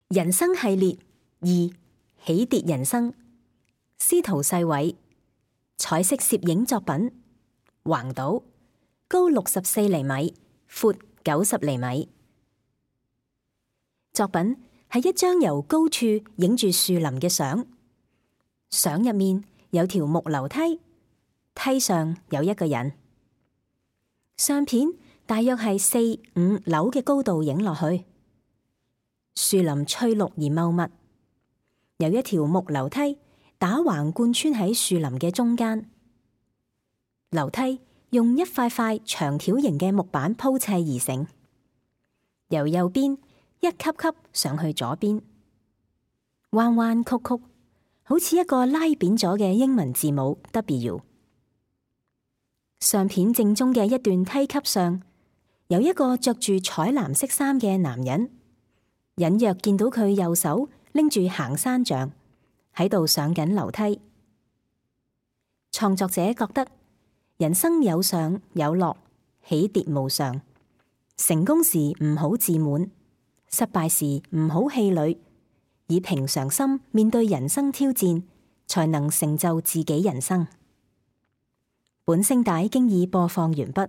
人生系列二起跌人生，司徒世偉，彩色攝影作品，橫島，高64厘米，闊90厘米。作品係一張由高處影住樹林嘅相，相入面有條木樓梯，梯上有一個人。相片大約係4、5樓嘅高度影落去。樹林翠綠而茂密，有一條木樓梯打橫貫穿喺樹林嘅中間。樓梯用一塊塊長條形嘅木板鋪砌而成，由右邊一級級上去左邊，彎彎曲曲，好似一個拉扁咗嘅英文字母 W。相片正中嘅一段梯級上，有一個着住彩藍色衫嘅男人。隱約見到佢右手拎住行山杖喺度上緊樓梯。創作者覺得人生有上有落，起跌無常。成功時唔好自滿，失敗時唔好氣餒，以平常心面對人生挑戰，才能成就自己人生。本聲帶經已播放完畢。